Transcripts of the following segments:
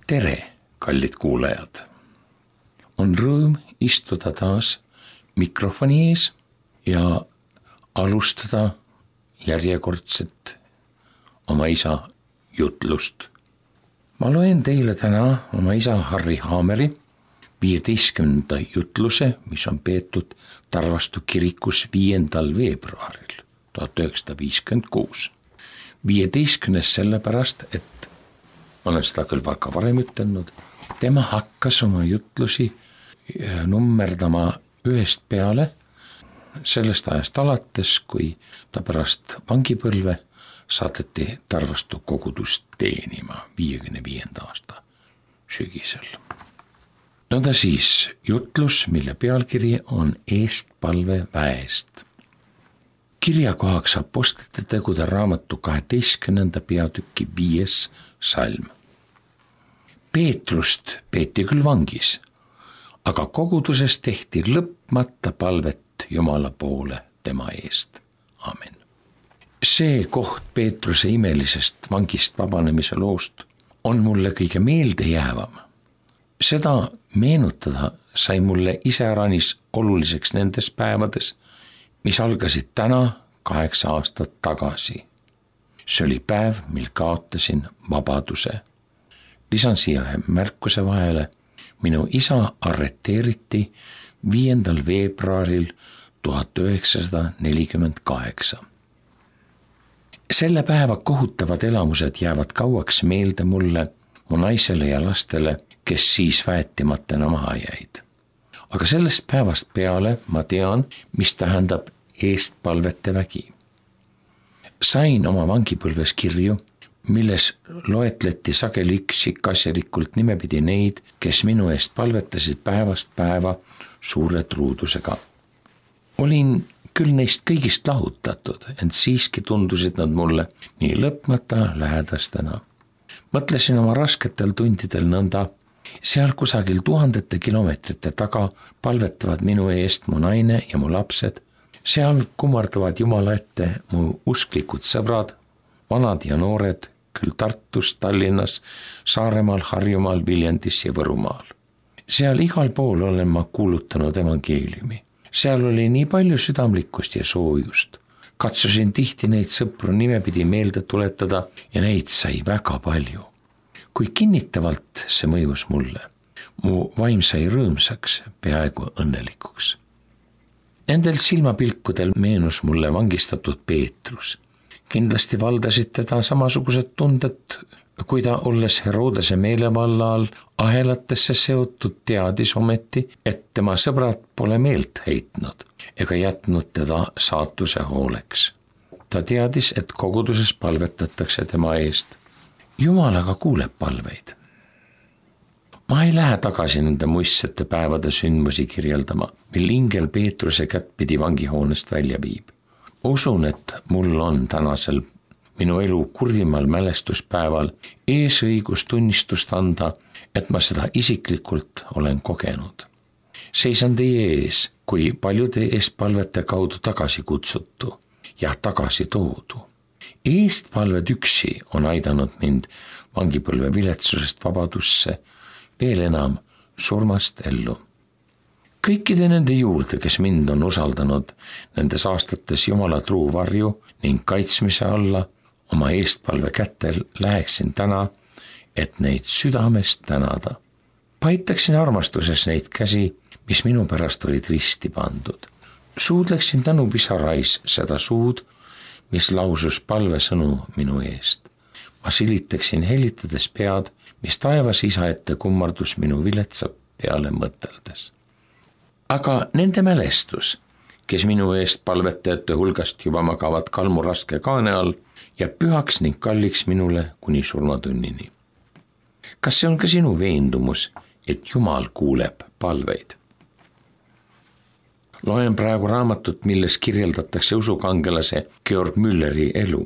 Tere, kallid kuulajad! On rõõm istuda taas mikrofoni ees ja alustada järjekordset oma isa jutlust. Ma loen teile täna oma isa Harri Haameri 15. jutluse, mis on peetud Tarvastu kirikus 5. veebruaril 1956. 15. sellepärast, et ma olen seda küll ka varem ütelnud, tema hakkas oma jutlusi nummerdama ühest peale sellest ajast alates, kui ta pärast vangipõlve saadeti Tarvastu kogudust teenima 55. aasta sügisel. Nõnda siis jutlus, mille pealkiri on Eestpalve väest. Kirjakohaks Apostlite tegude raamatu 12. peatüki 5. salm. Peetrust peeti küll vangis, aga koguduses tehti lõpmata palvet Jumala poole tema eest. Amen. See koht Peetruse imelisest vangist vabanemise loost on mulle kõige meeldejäävam. Seda meenutada sai mulle iseäranis oluliseks nendes päevades, mis algasid täna 8 aastat tagasi. See oli päev, mil kaotasin vabaduse. Lisan siia ühe märkuse vahele. Minu isa arreteeriti 5. veebruaril 1948. Selle päeva kohutavad elamused jäävad kauaks meelde mulle, mu naisele ja lastele, kes siis väetimatena maha jäid. Aga sellest päevast peale ma tean, mis tähendab eestpalvete vägi. Sain oma vangipõlves kirju, milles loetleti sageli üksikasjalikult nimepidi neid, kes minu eest palvetasid päevast päeva suure truudusega. Olin küll neist kõigist lahutatud, ent siiski tundusid nad mulle nii lõpmata lähedastena. Mõtlesin oma rasketel tundidel nõnda, seal kusagil tuhandete kilomeetrite taga palvetavad minu eest mu naine ja mu lapsed, seal kummardavad Jumala ette mu usklikud sõbrad, vanad ja noored, küll Tartus, Tallinnas, Saaremaal, Harjumaal, Viljandis ja Võrumaal. Seal igal pool olen ma kuulutanud evangeeliumi. Seal oli nii palju südamlikkust ja soojust. Katsusin tihti neid sõpru nimepidi meelde tuletada ja neid sai väga palju. Kui kinnitavalt see mõjus mulle, mu vaim sai rõõmsaks, peaaegu õnnelikuks. Nendel silmapilkudel meenus mulle vangistatud Peetrus. Kindlasti valdasid teda samasugused tunded, kui ta olles Herodese meelevalla all ahelatesse seotud teadis ometi, et tema sõbrad pole meelt heitnud ega jätnud teda saatuse hooleks. Ta teadis, et koguduses palvetatakse tema eest. Jumal aga kuuleb palveid. Ma ei lähe tagasi nende muistsete päevade sündmusi kirjeldama, mil ingel Peetruse kätt pidi vangihoonest välja viib. Usun, et mul on tänasel minu elu kurvimal mälestuspäeval eesõigus tunnistust anda, et ma seda isiklikult olen kogenud. Seisan teie ees, kui paljude eestpalvete kaudu tagasi kutsutu ja tagasi toodu. Eestpalved üksi on aidanud mind vangipõlve viletsusest vabadusse, veel enam surmast ellu. Kõikide nende juurde, kes mind on usaldanud nendes aastates Jumala truu varju ning kaitsmise alla, oma eestpalve kätel läheksin täna, et neid südamest tänada. Paitaksin armastuses neid käsi, mis minu pärast olid risti pandud. Suudleksin tänupisarais seda suud, mis lausus palvesõnu minu eest. Ma silitaksin helitades pead, mis taevas isa ette kummardus minu viletsa peale mõteldes. Aga nende mälestus, kes minu eest palvetajate hulgast juba magavad kalmuraske kaane all, jääb pühaks ning kalliks minule kuni surmatunnini. Kas see on ka sinu veendumus, et Jumal kuuleb palveid? Loen praegu raamatut, milles kirjeldatakse usukangelase Georg Mülleri elu.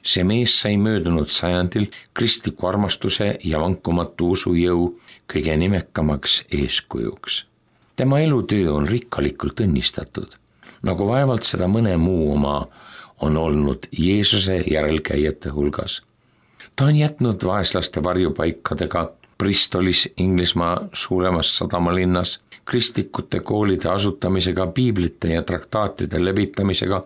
See mees sai möödunud sajandil kristliku armastuse ja vankumatu usujõu kõige nimekamaks eeskujuks. Tema elutöö on rikkalikult õnnistatud, nagu vaevalt seda mõne muu oma on olnud Jeesuse järelkäijate hulgas. Ta on jätnud vaeslaste varjupaikadega Bristolis, Inglismaa suuremas sadamalinnas, kristlikute koolide asutamisega, piiblite ja traktaatide levitamisega,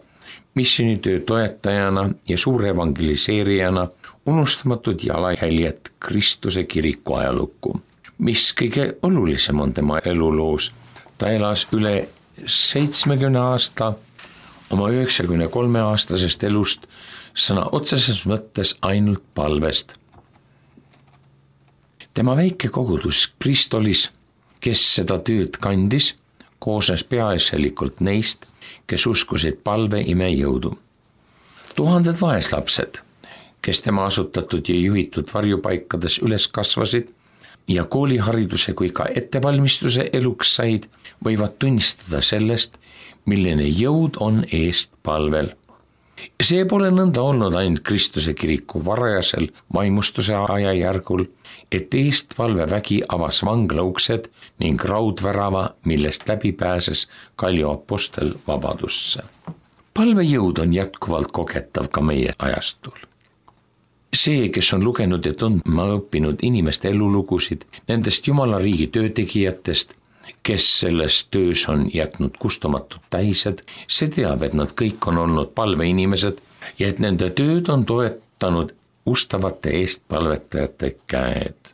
missioonitöö toetajana ja suure evangeliseerijana, unustamatud jalajäljed Kristuse kiriku ajalukku. Mis kõige olulisem on tema eluloos, ta elas üle 70 aasta oma 93-aastasest elust sõna otseses mõttes ainult palvest. Tema väike kogudus Bristolis, kes seda tööd kandis, koosnes peaasjalikult neist, kes uskusid palve imejõudu. Tuhanded vaeslapsed, kes tema asutatud ja juhitud varjupaikades üles kasvasid ja koolihariduse kui ka ettevalmistuse eluks said, võivad tunnistada sellest, milline jõud on eest palvel. See pole nõnda olnud ainult Kristuse kiriku varajasel vaimustuse ajajärgul, et eestpalvevägi avas vanglauksed ning raudvärava, millest läbi pääses Kalju apostel vabadusse. Palvejõud on jätkuvalt kogetav ka meie ajastul. See, kes on lugenud ja tundma õppinud inimeste elulugusid, nendest Jumala riigi töötegijatest, kes selles töös on jätnud kustumatud tähised, see teab, et nad kõik on olnud palveinimesed ja et nende tööd on toetanud ustavate eestpalvetajate käed.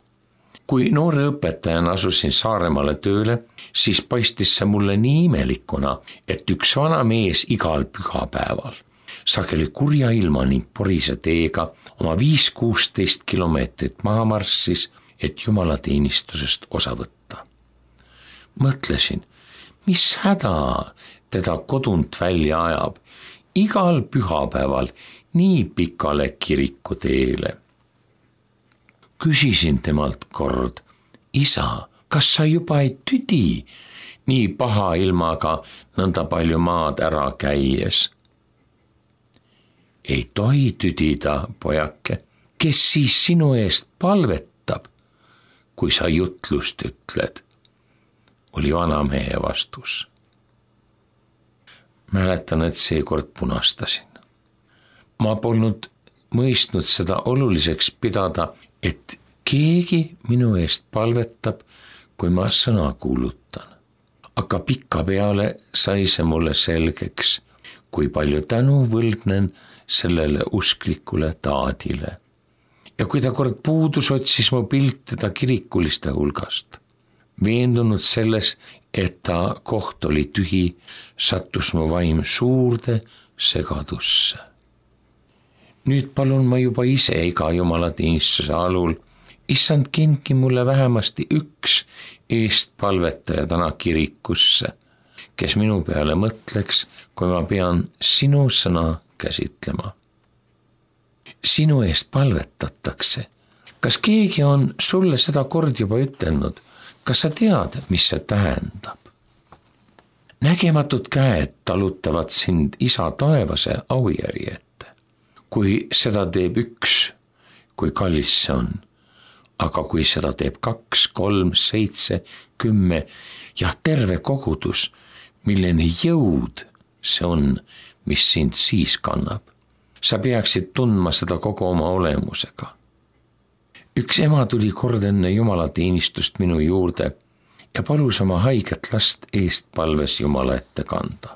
Kui noore õpetajana asusin Saaremaale tööle, siis paistis see mulle nii imelikuna, et üks vana mees igal pühapäeval, sageli kurja ilma ning porise teega oma 5-16 kilomeetrit maha marssis, et jumalateenistusest osa võtta. Mõtlesin, mis häda teda kodunt välja ajab igal pühapäeval nii pikale kirikuteele. Küsisin temalt kord, isa, kas sa juba ei tüdi nii paha ilmaga nõnda palju maad ära käies? Ei tohi tüdida, pojake, kes siis sinu eest palvetab, kui sa jutlust ütled, oli vanamehe vastus. Mäletan, et seekord punastasin. Ma polnud mõistnud seda oluliseks pidada, et keegi minu eest palvetab, kui ma sõna kuulutan. Aga pikapeale sai see mulle selgeks, kui palju tänu võlgnen sellele usklikule taadile. Ja kui ta kord puudus, otsis mu pilt teda kirikuliste hulgast. Veendunud selles, et ta koht oli tühi, sattus mu vaim suurde segadusse. Nüüd palun ma juba ise iga jumalateenistuse alul, issand, kindki mulle vähemasti üks eestpalvetaja täna kirikusse, kes minu peale mõtleks, kui ma pean sinu sõna käsitlema. Sinu eest palvetatakse. Kas keegi on sulle seda kord juba ütelnud? Kas sa tead, mis see tähendab? Nägematud käed talutavad sind isa taevase aujärje ette. Kui seda teeb üks, kui kallis see on. Aga kui seda teeb 2, 3, 7, 10 ja terve kogudus, milline jõud see on, mis sind siis kannab. Sa peaksid tundma seda kogu oma olemusega. Üks ema tuli kord enne jumalateenistust minu juurde ja palus oma haiget last eestpalves Jumala ette kanda.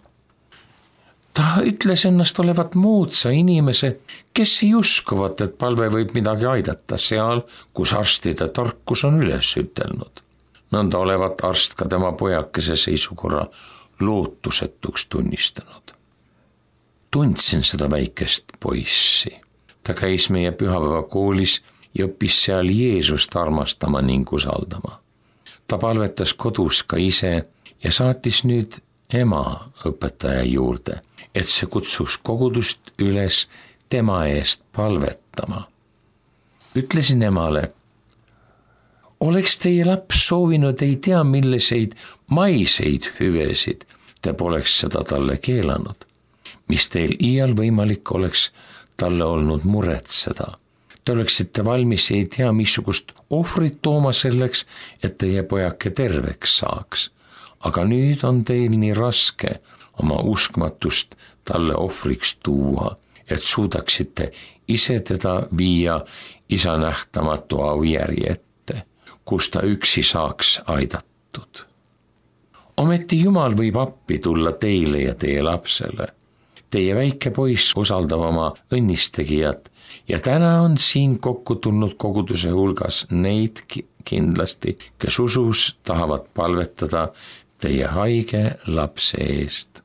Ta ütles ennast olevat moodsa inimese, kes ei uskuvat, et palve võib midagi aidata seal, kus arstide tarkus on üles ütelnud. Nõnda olevat arst ka tema pojakese seisukorra lootusetuks tunnistanud. Tundsin seda väikest poissi. Ta käis meie pühapäevakoolis ja õppis seal Jeesust armastama ning usaldama. Ta palvetas kodus ka ise ja saatis nüüd ema õpetaja juurde, et see kutsuks kogudust üles tema eest palvetama. Ütlesin emale, oleks teie laps soovinud ei tea milliseid maiseid hüvesid, te poleks seda talle keelanud, mis teil iial võimalik oleks talle olnud muretseda. Te oleksite valmis ei tea missugust ohvrit tooma selleks, et teie pojake terveks saaks. Aga nüüd on teil nii raske oma uskmatust talle ohvriks tuua, et suudaksite ise teda viia isa nähtamatu aujärje ette, kus ta üksi saaks aidatud. Ometi Jumal võib appi tulla teile ja teie lapsele. Teie väike poiss usaldab oma õnnistegijat ja täna on siin kokku tulnud koguduse hulgas neid kindlasti, kes usus tahavad palvetada teie haige lapse eest.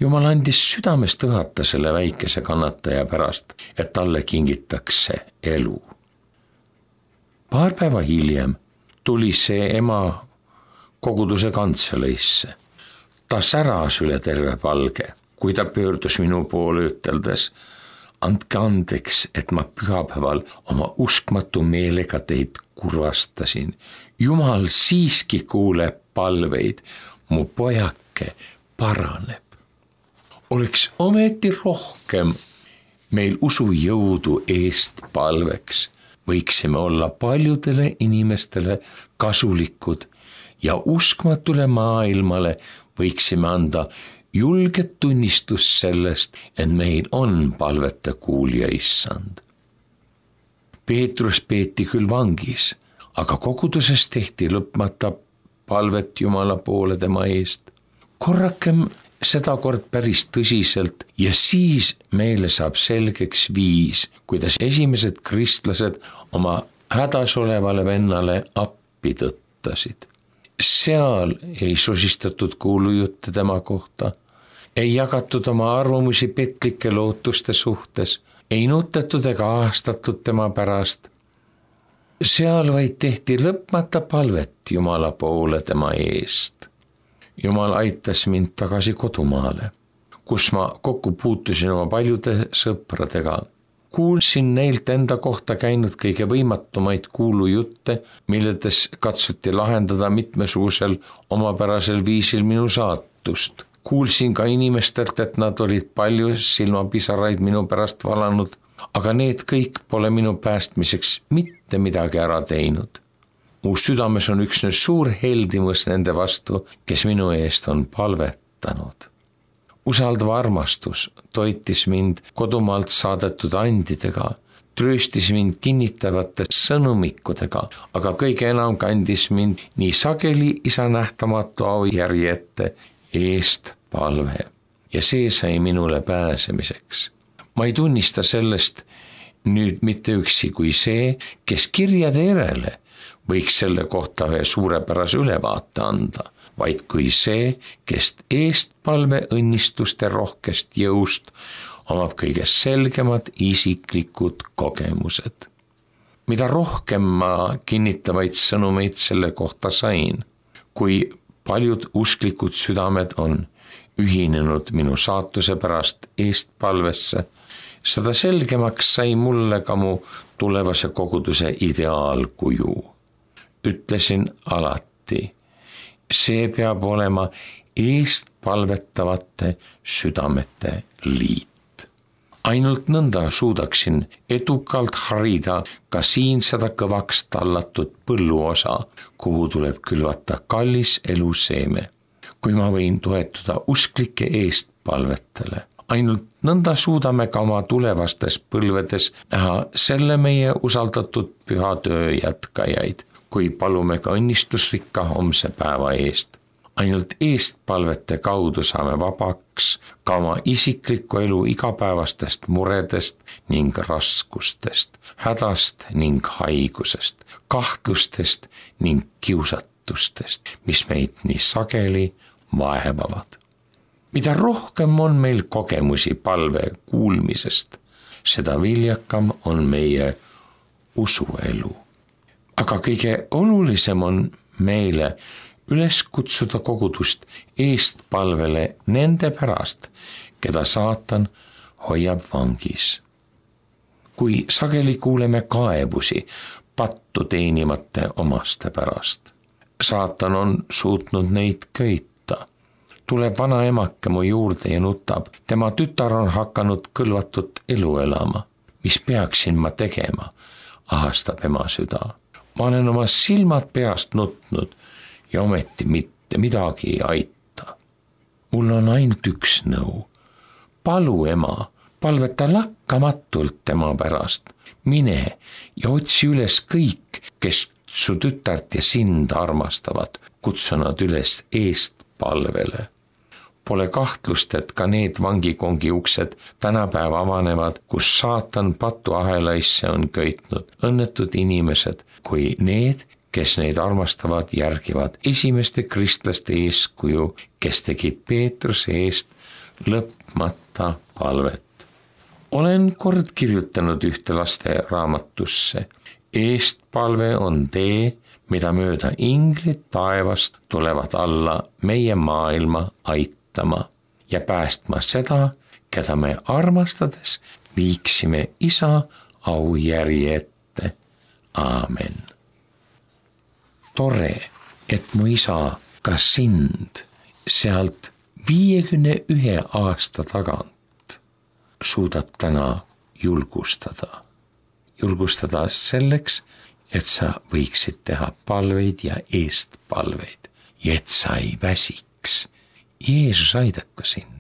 Jumal andis südamest õhata selle väikese kannataja pärast, et talle kingitakse elu. Paar päeva hiljem tuli see ema koguduse kantseleisse. Ta säras üle terve palge, kui ta pöördus minu poole üteldes: andke andeks, et ma pühapäeval oma uskmatu meelega teid kurvastasin. Jumal siiski kuuleb palveid, mu pojake paraneb. Oleks ometi rohkem meil usujõudu eest palveks, võiksime olla paljudele inimestele kasulikud ja uskmatule maailmale võiksime anda julget tunnistust sellest, et meil on palvete kuulja issand. Peetrus peeti küll vangis, aga koguduses tehti lõpmata palvet Jumala poole tema eest. Korrakem sedakord päris tõsiselt ja siis meile saab selgeks viis, kuidas esimesed kristlased oma hädas olevale vennale appi tõttasid. Seal ei sosistatud kuulujutte tema kohta, ei jagatud oma arvamusi petlike lootuste suhtes, ei nutetud ega aastatud tema pärast. Seal vaid tehti lõpmata palvet Jumala poole tema eest. Jumal aitas mind tagasi kodumaale, kus ma kokku puutusin oma paljude sõpradega. Kuulsin neilt enda kohta käinud kõige võimatumaid kuulujutte, milledes katsuti lahendada mitmesugusel omapärasel viisil minu saatust. Kuulsin ka inimestelt, et nad olid palju silmapisaraid minu pärast valanud, aga need kõik pole minu päästmiseks mitte midagi ära teinud. Mu südames on üksnes suur heldimus nende vastu, kes minu eest on palvetanud. Usaldav armastus toitis mind kodumaalt saadetud andidega, trööstis mind kinnitavate sõnumikudega, aga kõige enam kandis mind nii sageli isa nähtamatu aujärje ette eest palve ja see sai minule pääsemiseks. Ma ei tunnista sellest nüüd mitte üksi kui see, kes kirjade järele võiks selle kohta ühe suurepärase ülevaate anda, vaid kui see, kes eestpalve õnnistuste rohkest jõust omab kõige selgemad isiklikud kogemused. Mida rohkem ma kinnitavaid sõnumeid selle kohta sain, kui paljud usklikud südamed on ühinenud minu saatuse pärast eestpalvesse, seda selgemaks sai mulle ka mu tulevase koguduse ideaalkuju. Ütlesin alati, see peab olema eestpalvetavate südamete liit. Ainult nõnda suudaksin edukalt harida ka siin seda kõvaks tallatud põlluosa, kuhu tuleb külvata kallis eluseeme, kui ma võin toetuda usklike eestpalvetele. Ainult nõnda suudame ka oma tulevastes põlvedes näha selle meie usaldatud püha töö jätkajaid, kui palume ka õnnistusrikka homse päeva eest. Ainult eestpalvete kaudu saame vabaks ka oma isikliku elu igapäevastest muredest ning raskustest, hädast ning haigusest, kahtlustest ning kiusatustest, mis meid nii sageli vaevavad. Mida rohkem on meil kogemusi palve kuulmisest, seda viljakam on meie usuelu. Aga kõige olulisem on meile üles kutsuda kogudust eestpalvele nende pärast, keda saatan hoiab vangis. Kui sageli kuuleme kaebusi pattu teenimate omaste pärast, saatan on suutnud neid köita. Tuleb vana emake mu juurde ja nutab, tema tütar on hakanud kõlvatut elu elama. Mis peaksin ma tegema, ahastab ema süda. Ma olen oma silmad peast nutnud ja ometi mitte midagi ei aita. Mul on ainult üks nõu. Palu ema, palveta lakkamatult tema pärast. Mine ja otsi üles kõik, kes su tütart ja sind armastavad, kutsu nad üles eestpalvele. Pole kahtlust, et ka need vangikongi uksed tänapäeva avanevad, kus saatan patuahelaisse on köitnud õnnetud inimesed, kui need, kes neid armastavad, järgivad esimeste kristlaste eeskuju, kes tegid Peetruse eest lõpmata palvet. Olen kord kirjutanud ühte laste raamatusse. Eestpalve on tee, mida mööda inglid taevast tulevad alla meie maailma aitama ja päästma seda, keda me armastades viiksime Isa aujärje ette. Aamen. Tore, et mu isa ka sind sealt 51 aasta tagant suudab täna julgustada. Julgustada selleks, et sa võiksid teha palveid ja eestpalveid ja et sa ei väsiks. Jeesus aidaku sind.